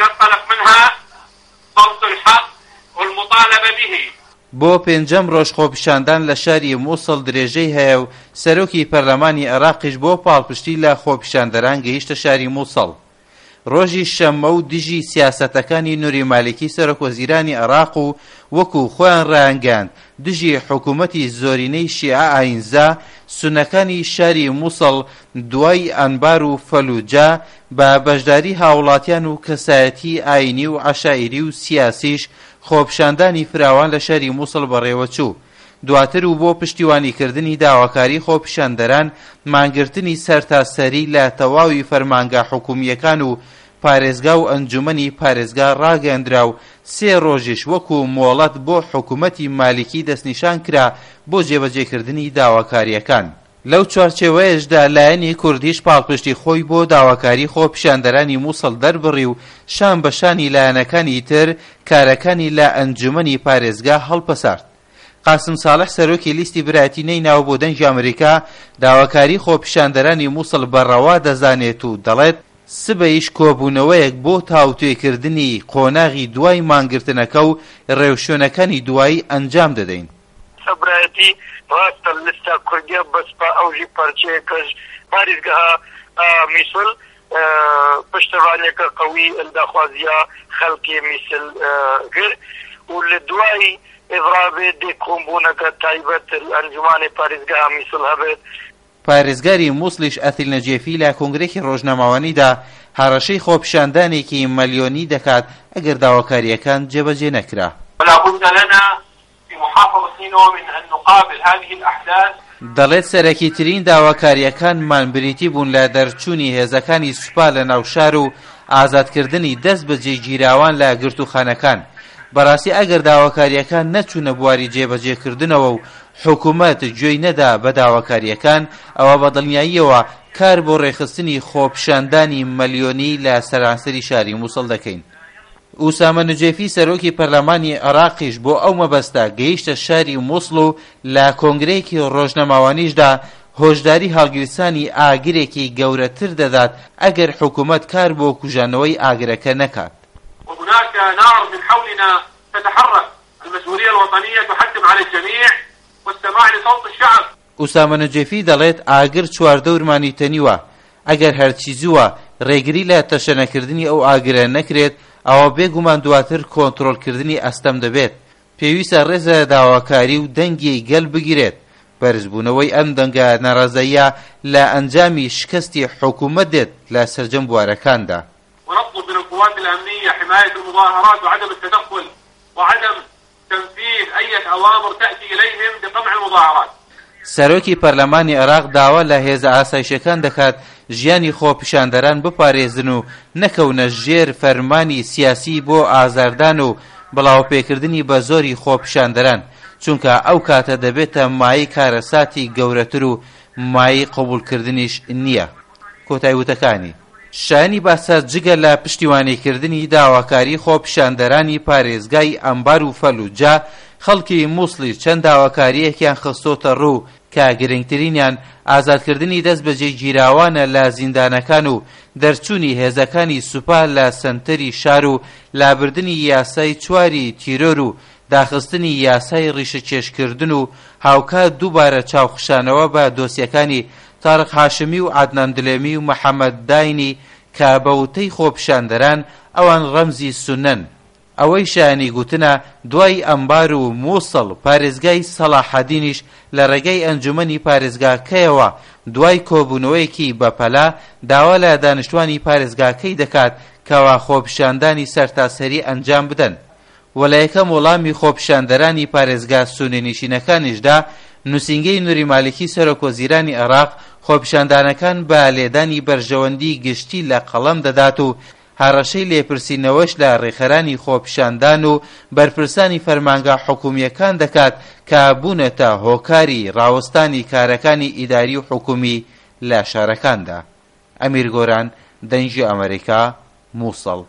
ينطلق منها صوت الحق والمطالبة به. بۆ پێنجەم ڕۆژ خۆپیشاندان لە شاری موسڵ درێژەی هەیە و سەرۆکی پەرلەمانی عێراقیش بۆ پاڵپشتی لە خۆپیشاندەران گەیشتە شاری موسڵ. ڕۆژی شەممە و دژی سیاسەتەکانی نوری مالیکی سەرۆکوەزیرانی عێراق و وەکو خۆیان ڕایانگەیاند دژی حکومەتی زۆرینەی شیعە ئاینزا سوننەکانی شاری موسڵ دوای ئەنبار و فەلوجە بە بەشداری هاوڵاتیان و کەسایەتی ئاینی و عەشایری و سیاسیش خۆپیشاندانی فراوان لە شاری موسڵ بەڕێوەچوو. دواتر و بۆ پشتیوانیکردنی داواکاری خۆپیشاندەران مانگرتنی سەرتاسەری لە تەواوی فەرمانگە حکومییەکان و پارێزگا و ئەنجومەنی پارێزگا ڕاگەیەندرا و سێ ڕۆژیش وەکو مۆڵەت بۆ حکومەتی مالیکی دەستنیشان کرا بۆ جێبەجێکردنی داواکارییەکان. لەو چوارچێوەیەشدا لایەنی کوردیش پاڵپشتی خۆی بۆ داواکاری خۆپیشاندەرانی موسڵ دەربڕی و شان بە شانی لایەنەکانی تر کارەکانی لە ئەنجومەنی پارێزگا هەڵپەسارد. قاسم ساڵح سەرۆکی لیستی برایەتی نەیناوە بۆ دەنگی ئەمریکا داواکاری خۆپیشاندەرانی موسڵ بە ڕەوا دەزانێت و دەڵێت، سبەیش کۆبوونەوەیەک بۆ تاوتوێکردنی قۆناغی دوای مانگرتنەکە و ڕێوشوێنەکانی دوایی ئەنجام دەدەین. برایەتی ڕاستە لستا کوردیە بەس پا ئەوژی پەرچەیەکەژ پاریزگەها میسل پشتەڤانیەکە قەوی ال داخوازیا خەلکێ میسل گر و لە دوای ئێڤراڤێ دێ کۆمبوونەکە تایبەت ال ئەنجومانێ پاریزگەها میسل هەبێت. پارێزگاری موسڵیش ئەثیل نەجێفی لە کۆنگرەیەکی ڕۆژنامەوانیدا هەڕەشەی خۆپیشاندانێکی مەلیۆنی دەکات ئەگەر داواکارییەکان جێبەجێ نەکرا. ولا بد لنا في محافظة نينوى من أن نقابل هذه الأحداث. دەڵێت سەرەکیترین داواکارییەکانمان بریتی بوون لە دەرچوونی هێزەکانی سوپا لە ناو شار و ئازادکردنی دەست بەجێ گیراوان لە گرتووخانەکان. بەڕاستی ئەگەر داواکارییەکان نەچوونە بواری جێبەجێکردنەوە و حکومەت گوێی نەدا بە داواکارییەکان، ئەوا بە دڵنیاییەوە کار بۆ ڕێکخستنی خۆپیشاندانی مەلیۆنی لە سەرانسەری شاری موسڵ دەکەین. ئوسامە نوجێفی سەرۆکی پەرلەمانی عێراقیش بۆ ئەو مەبەستە گەیشتە شاری موسڵ و لە کۆنگرەیەکی ڕۆژنەماوانیشدا هۆشداری هەڵگیرسانی ئاگرێکی گەورەتر دەدات ئەگەر حکومەت کار بۆ کوژانەوەی ئاگرەکە نەکات. وهناک نار من حولنا تتحرک المسئولیە الوطنیە تحتم علی الجمیع والسماع لصوت الشعب. ئوسامە نوجێفی دەڵێت ئاگر چواردەورمانی تەنیوە، ئەگەر هەرچی زووە رێگری لە تەشەنەکردنی ئەو ئاگرە نەکرێت، ئەوا بێگومان دواتر کۆنترۆڵکردنی ئەستەم دەبێت. پێویستە رێز لە داواکاری و دەنگی گەل بگیرێت. بەرزبوونەوەی ئەم دەنگە ناڕەزاییە لە ئەنجامی شکستی حکومەت دێت لە سەرجەم بوارەکاندا. ونطلب من القوات الامنیە حمایە المظاهرات وعدم التدخل وعدم تنفیذ ایە اوامر تاتی الیهم بقمع المظاهرات. سەرۆکی پەرلەمانی عێراق داوا لە هێزە ئاسایشیەکان دەکات ژیانی خۆپیشاندەران بپارێزن و نەکەونە ژێر فەرمانی سیاسی بۆ ئازاردان و بڵاوەپێکردنی بەزۆری خۆپیشاندەران، چونکە ئەو کاتە دەبێتە مایەی کارەساتی گەورەتر و مایەی قبوڵکردنیش نییە. کۆتای وتەکانی. شایەنی باسە جگە لە پشتیوانیکردنی داواکاری خۆپیشاندەرانی پارێزگای ئەنبار و فەلوجە، خەڵکی موسڵیش چەند داواکارییەکیان خستۆتە ڕوو کە گرنگترینیان ئازادکردنی دەست بەجێ گیراوانە لە زیندانەکان و دەرچوونی هێزەکانی سوپا لە سەنتەری شار و لابردنی یاسای چواری تیرۆر و داخستنی یاسای ڕیشەکێشکردن و هاوکات دووبارە چاوخشانەوە بە دۆسیەکانی تارق هاشمی و عەدنان دلێمی و محەمەد داینی کە بە وتەی خۆپیشاندەران ئەوان ڕەمزی سوننەن. ئەوەی شایانی گوتنە دوای ئەنبار و موسڵ پارێزگای سەڵاحەدینیش لە ڕێگای ئەنجومەنی پارێزگاکەیەوە دوای کۆبوونەوەیەکی بەپەلە داوا لە دانیشتوانی پارێزگاکەی دەکات کەوا خۆپیشاندانی سەرتاسەری ئەنجام بدەن و لە یەکەم وەڵامی خۆپیشاندەرانی پارێزگا سوننینشینەکانیشدا نوسینگەی نوری مالیکی سەرۆکوەزیرانی عێراق خۆپیشاندانەکان بە لێدانی بەرژەوەندی گشتی لە قەڵەم دەدات و هەڕەشەی لێپرسینەوەش لە ڕێکخەرانی خۆپیشاندان و بەرپرسانی فەرمانگە حکومییەکان دەکات کە بوونەتە هۆکاری ڕاوەستانی کارەکانی ئیداری و حکومی لە شارەکاندا. ئەمیر گۆران، دەنگی ئەمەریکا، موسڵ.